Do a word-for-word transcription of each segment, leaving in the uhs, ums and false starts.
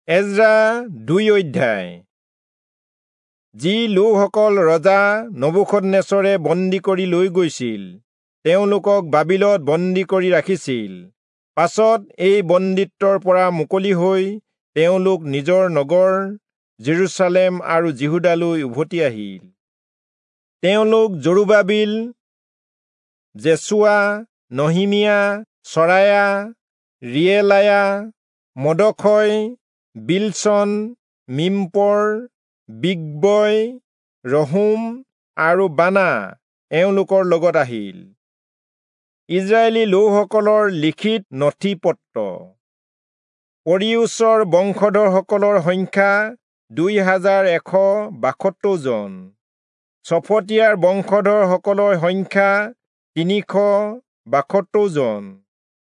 এজ্ৰা দুই অধ্যায়। যি লোকসকল ৰজা নবূখদনেচৰে বন্দী কৰি লৈ গৈছিল, তেওঁলোকক বাবিলত বন্দী কৰি ৰাখিছিল। পাছত এই বন্দীত্বৰ পৰা মুকলি হৈ তেওঁলোক নিজৰ নগৰ জেৰুচালেম আৰু যিহূদালৈ উভতি আহিল। তেওঁলোক জৰুবাবিল, যেচুৱা, নহিমিয়া, চৰায়া, ৰিয়েলায়া, মৰ্দখয়, বিলচন, মিম্পৰ, বিগ্বয়, ৰহূম আৰু বানা এওঁলোকৰ লগত আহিল। ইজৰাইলী লোকসকলৰ লিখিত নথি-পত্ৰ। পৰিয়োচৰ বংশধৰসকলৰ সংখ্যা দুই হাজাৰ এশ বাসত্তৰ জন। চফটীয়াৰ বংশধৰসকলৰ সংখ্যা তিনিশ বাসত্তৰ জন।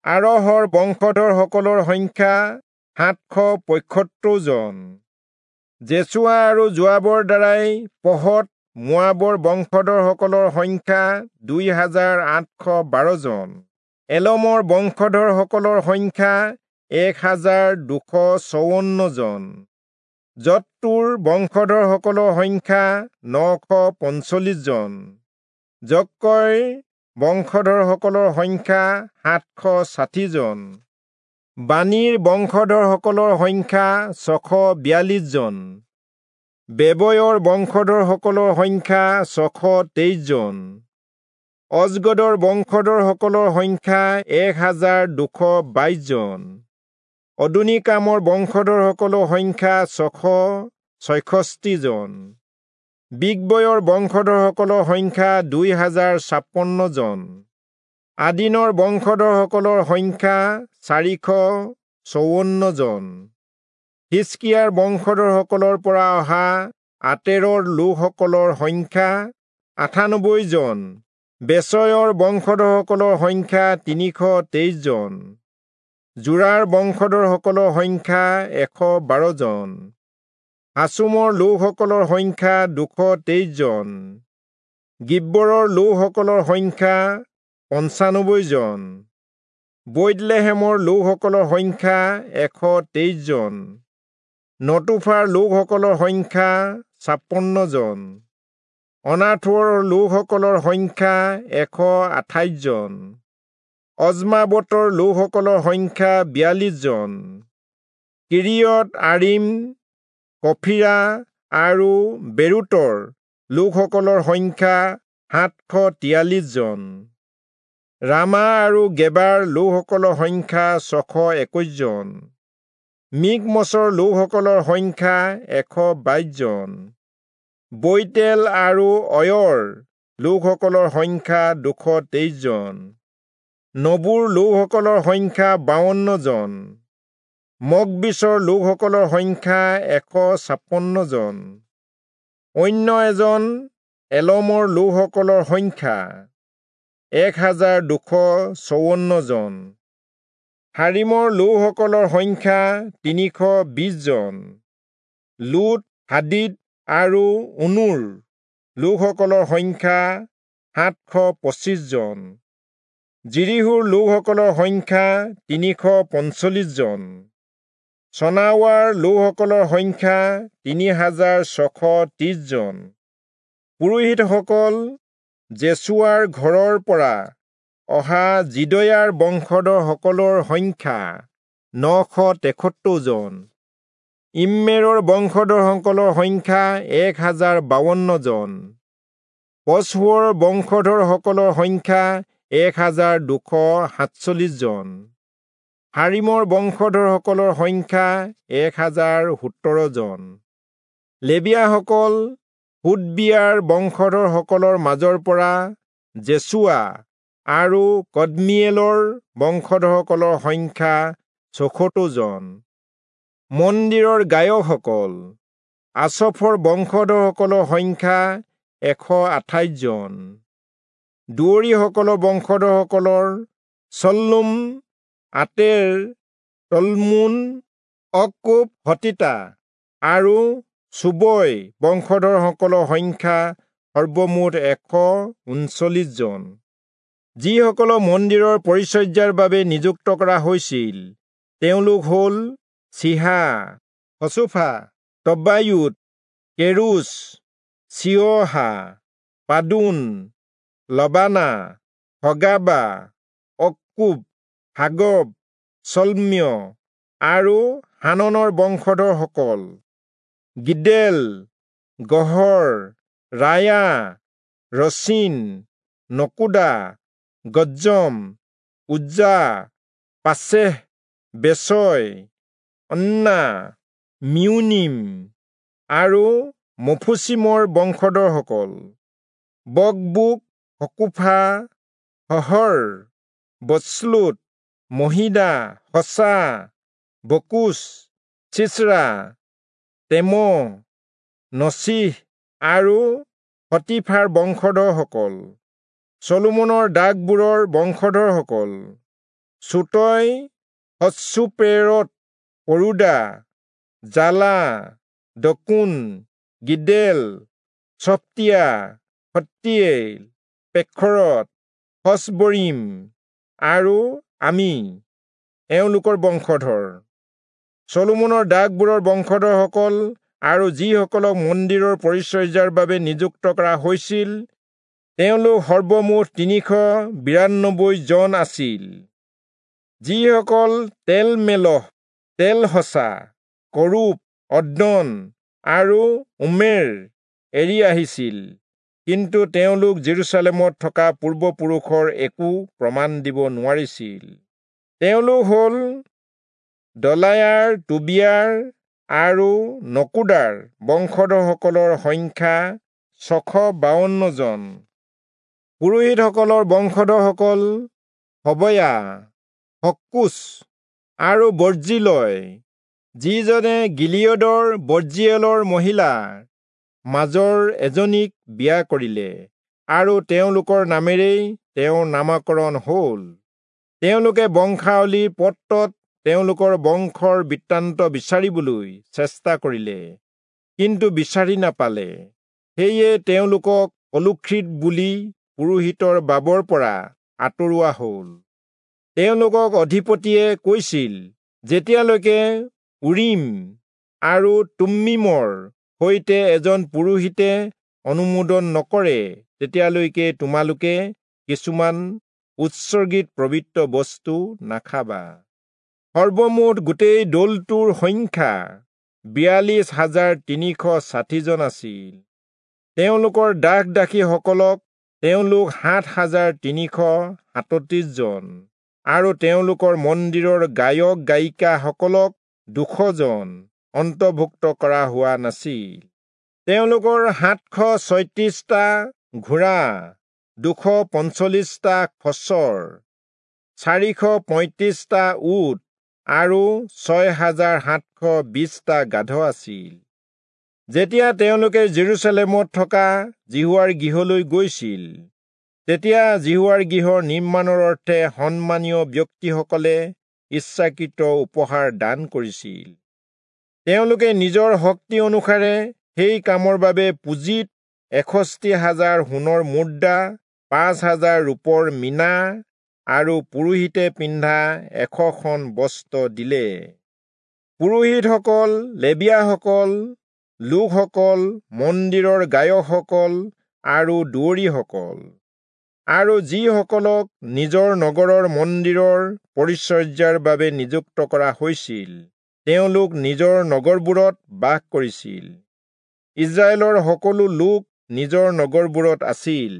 আৰহৰ বংশধৰসকলৰ সংখ্যা সাতশ পঁয়সত্তৰ জন। যেচুৱা আৰু যোৱাবৰ দ্বাৰাই পহৎ মোৱাবৰ বংশধৰসকলৰ সংখ্যা দুই হাজাৰ আঠশ বাৰ জন। এলমৰ বংশধৰসকলৰ সংখ্যা এক হাজাৰ দুশ চৌৱন্ন জন। জত্তুৰ বংশধৰসকলৰ সংখ্যা নশ পঞ্চল্লিশ জন। জক্কৈৰ বংশধৰসকলৰ সংখ্যা সাতশ ষাঠি জন। বানীৰ বংশধৰসকলৰ সংখ্যা ছশ বিয়াল্লিশ জন। বেবয়ৰ বংশধৰসকলৰ সংখ্যা ছশ তেইশ জন। অজগদৰ বংশধৰসকলৰ সংখ্যা এক হাজাৰ দুশ বাইশ জন। অদোনীকামৰ বংশধৰসকলৰ সংখ্যা ছশ ছয়ষষ্ঠি জন। বিগবয়ৰ বংশধৰসকলৰ সংখ্যা দুই হাজাৰ ছাপন্ন জন। আদিনৰ বংশধৰসকলৰ সংখ্যা চাৰিশ চৌৱন্ন জন। হিষ্কিয়াৰ বংশধৰসকলৰ পৰা অহা আতেৰৰ লোকসকলৰ সংখ্যা আঠানব্বৈ জন। বেচয়ৰ বংশধৰসকলৰ সংখ্যা তিনিশ তেইশ জন। যোৰাৰ বংশধৰসকলৰ সংখ্যা এশ বাৰ জন। হাচুমৰ লোকসকলৰ সংখ্যা দুশ তেইশ জন। গিব্বৰৰ লোকসকলৰ সংখ্যা পঞ্চানব্বৈ জন। বৈৎলেহেমৰ লোকসকলৰ সংখ্যা এশ তেইশ জন। নতোফাৰ লোকসকলৰ সংখ্যা ছাপন্ন জন। অনাথোৰ লোকসকলৰ সংখ্যা এশ আঠাইশ জন। অজমাবতৰ লোকসকলৰ সংখ্যা বিয়াল্লিশ জন। কিৰিয়ত আৰিম, কফিৰা আৰু বেৰোতৰ লোকসকলৰ সংখ্যা সাতশ তিয়াল্লিশ জন। ৰামা আৰু গেবাৰ লোকসকলৰ সংখ্যা ছশ একৈশ জন। মিকমচৰ লোকসকলৰ সংখ্যা এশ বাইশ জন। বৈতেল আৰু অয়ৰ লোকসকলৰ সংখ্যা দুশ তেইশ জন। নবুৰ লোকসকলৰ সংখ্যা বাৱন্ন জন। মগবিচৰ লোকসকলৰ সংখ্যা এশ ছাপন্ন জন। অন্য এজন এলমৰ লোকসকলৰ সংখ্যা এক হাজাৰ দুশ চৌৱন্ন জন। হাৰিমৰ লোকসকলৰ সংখ্যা তিনিশ বিশ জন। লোট, হাদিদ আৰু উনুৰ লোকসকলৰ সংখ্যা সাতশ পঁচিশ জন। যিৰীহোৰ লোকসকলৰ সংখ্যা তিনিশ পঞ্চল্লিশ জন। চনাৱাৰ লোকসকলৰ সংখ্যা তিনি হাজাৰ ছশ ত্ৰিশ জন। পুৰোহিতসকল যেচুৱাৰ ঘৰৰ পৰা অহা যিদয়াৰ বংশধৰসকলৰ সংখ্যা নশ তেসত্তৰ জন। ইম্মেৰৰ বংশধৰসকলৰ সংখ্যা এক হাজাৰ বাৱন্ন জন। পচহূৰৰ বংশধৰসকলৰ সংখ্যা এক হাজাৰ দুশ সাতচল্লিশ জন। হাৰিমৰ বংশধৰসকলৰ সংখ্যা এক হাজাৰ সোতৰ জন। লেবীয়াসকল হোদবিয়াৰ বংশধৰসকলৰ মাজৰ পৰা যেচুৱা আৰু কদমীয়েলৰ বংশধৰসকলৰ সংখ্যা চৌসত্তৰ জন। মন্দিৰৰ গায়কসকল আচফৰ বংশধৰসকলৰ সংখ্যা এশ আঠাইশ জন। দুৱৰীসকলৰ বংশধৰসকলৰ চল্লুম, আতেৰ, তলমোন, অক্কুব, হতীতা আৰু চোবই বংশধৰসকলৰ সংখ্যা সৰ্বমুঠ এশ ঊনচল্লিশ জন। যিসকলক মন্দিৰৰ পৰিচৰ্যাৰ বাবে নিযুক্ত কৰা হৈছিল তেওঁলোক হ'ল চিহা, হচুফা, তব্বায়োত, কেৰুচ, চিয়হা, পাদোন, লবানা, হগাবা, অক্কুব, হাগব, চল্মীয় আৰু হাননৰ বংশধৰসকল, গিদেল, গহৰ, ৰায়া, ৰচীন, নকুদা, গজ্জম, উজ্জা, পাচেহ, বেচয়, অন্না, মিউনিম আৰু মফুচিমৰ বংশধৰসকল, বকবুক, হকুফা, হহৰ, বচ্লুত, মহিদা, হচা, বকুচ, চিচৰা, তেম, নচীহ আৰু হতীফাৰ বংশধৰসকল, চলোমনৰ দাসবোৰৰ বংশধৰসকল, চোটই, হচ্চোপেৰৎ, পৰুদা, জালা, দকুন, গিদেল, চপ্তিয়া, হত্তীয়েল, পেখৰত, হচবৰীম আৰু আমি এওঁলোকৰ বংশধৰ। চলোমনৰ দাসবোৰৰ বংশধৰসকল আৰু যিসকলক মন্দিৰৰ পৰিচৰ্যাৰ বাবে নিযুক্ত কৰা হৈছিল তেওঁলোক সৰ্বমুঠ তিনিশ বিৰান্নব্বৈ জন আছিল। যিসকল তেলমেলহ, তেলহচা, কৰূব, অদ্দন আৰু ইম্মেৰ এৰি আহিছিল, কিন্তু তেওঁলোক যিৰূচালেমত থকা পূৰ্বপুৰুষৰ একো প্ৰমাণ দিব নোৱাৰিছিল। তেওঁলোক হ'ল দলায়াৰ, টোবিয়াৰ আৰু নকুদাৰ বংশধৰসকলৰ সংখ্যা ছশ বাৱন্ন জন। পুৰোহিতসকলৰ বংশধৰসকল হবয়া, হক্কোচ আৰু বৰ্জিলয়, যিজনে গিলিয়দৰ বৰ্জিয়েলৰ মহিলাৰ মাজৰ এজনীক বিয়া কৰিলে আৰু তেওঁলোকৰ নামেৰেই তেওঁৰ নামাকৰণ হ'ল। তেওঁলোকে বংশাৱলীৰ পত্ৰত তেওঁলোকৰ বংশৰ বৃত্তান্ত বিচাৰিবলৈ চেষ্টা কৰিলে, কিন্তু বিচাৰি নাপালে। সেয়ে তেওঁলোকক কলুষিত বুলি পুৰোহিতৰ বাবৰ পৰা আঁতৰোৱা হ'ল। তেওঁলোকক অধিপতিয়ে কৈছিল, যেতিয়ালৈকে উৰীম আৰু তুম্মীমৰ সৈতে এজন পুৰোহিতে অনুমোদন নকৰে, তেতিয়ালৈকে তোমালোকে কিছুমান উৎসৰ্গিত পবিত্ৰ বস্তু নাখাবা। সৰ্বমুঠ গোটেই দলটোৰ সংখ্যা বিয়াল্লিছ হাজাৰ তিনিশ ষাঠিজন আছিল। তেওঁলোকৰ দাস দাসীসকলক তেওঁলোক সাত হাজাৰ তিনিশ সাতত্ৰিশ জন আৰু তেওঁলোকৰ মন্দিৰৰ গায়ক গায়িকাসকলক দুশজন অন্তৰ্ভুক্ত কৰা হোৱা নাছিল। তেওঁলোকৰ সাতশ ছয়ত্ৰিশটা ঘোঁৰা, দুশ পঞ্চল্লিশটা খচৰ, চাৰিশ পঁয়ত্ৰিশটা উট আৰু ছয় হাজাৰ সাতশ বিশটা গাধ আছিল। যেতিয়া তেওঁলোকে যিৰূচালেমত থকা যিহোৱাৰ গৃহলৈ গৈছিল, তেতিয়া যিহোৱাৰ গৃহৰ নিৰ্মাণৰ অৰ্থে সন্মানীয় ব্যক্তিসকলে ইচ্ছাকৃত উপহাৰ দান কৰিছিল। তেওঁলোকে নিজৰ শক্তি অনুসাৰে সেই কামৰ বাবে পুঁজিত এষষ্ঠি হাজাৰ সোণৰ মুদ্ৰা, পাঁচ হাজাৰ ৰূপৰ মীনা আৰু পুৰোহিতে পিন্ধা এশখন বস্ত্ৰ দিলে। পুৰোহিতসকল, লেবীয়াসকল, লোকসকল, মন্দিৰৰ গায়কসকল আৰু দুৱৰীসকল আৰু যিসকলক নিজৰ নগৰৰ মন্দিৰৰ পৰিচৰ্যাৰ বাবে নিযুক্ত কৰা হৈছিল, তেওঁলোক নিজৰ নগৰবোৰত বাস কৰিছিল। ইস্ৰায়েলৰ সকলো লোক নিজৰ নগৰবোৰত আছিল।